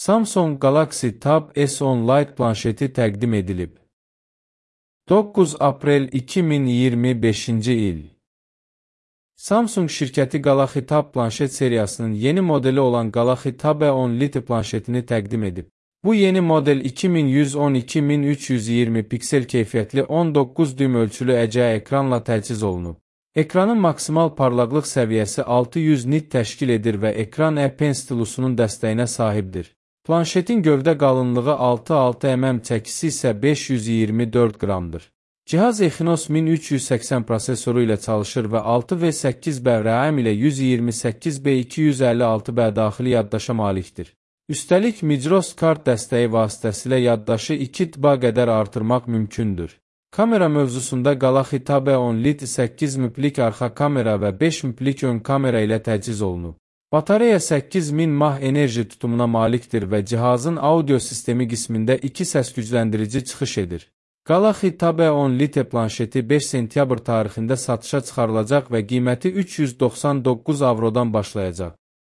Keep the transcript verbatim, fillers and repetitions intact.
Samsung Galaxy Tab S on Lite planşeti təqdim edilib. doqquz aprel iki min iyirmi beşinci il. Samsung şirkəti Galaxy Tab planşet seriyasının yeni modeli olan Galaxy Tab S on Lite planşetini təqdim edib. Bu yeni model iki min yüz on iki min üç yüz iyirmi piksel keyfiyyətli on doqquz düym ölçülü əcəyə ekranla təchiz olunub. Ekranın maksimal parlaqlıq səviyyəsi altı yüz nit təşkil edir və ekran E Pen stilusunun dəstəyinə sahibdir. Planşetin gövdə qalınlığı altı nöqtə altı millimetr, çəkisi isə beş yüz iyirmi dörd qramdır. Cihaz Exynos min üç yüz səksən prosesoru ilə çalışır və altı V səkkiz B RAM ilə yüz iyirmi səkkiz B iki yüz əlli altı B daxili yaddaşa malikdir. Üstəlik, Micros kart dəstəyi vasitəsilə yaddaşı iki dəfə qədər artırmaq mümkündür. Kamera mövzusunda Galaxy Tab S on Lite səkkiz megapiksellik arxa kamera və beş megapiksellik ön kamera ilə təchiz olunub. Batareya səkkiz min mAh enerji tutumuna malikdir və cihazın audio sistemi qismində iki səs gücləndirici çıxış edir. Galaxy Tab S on Lite planşeti beş sentyabr tarixində satışa çıxarılacaq və qiyməti üç yüz doxsan doqquz avrodan başlayacaq.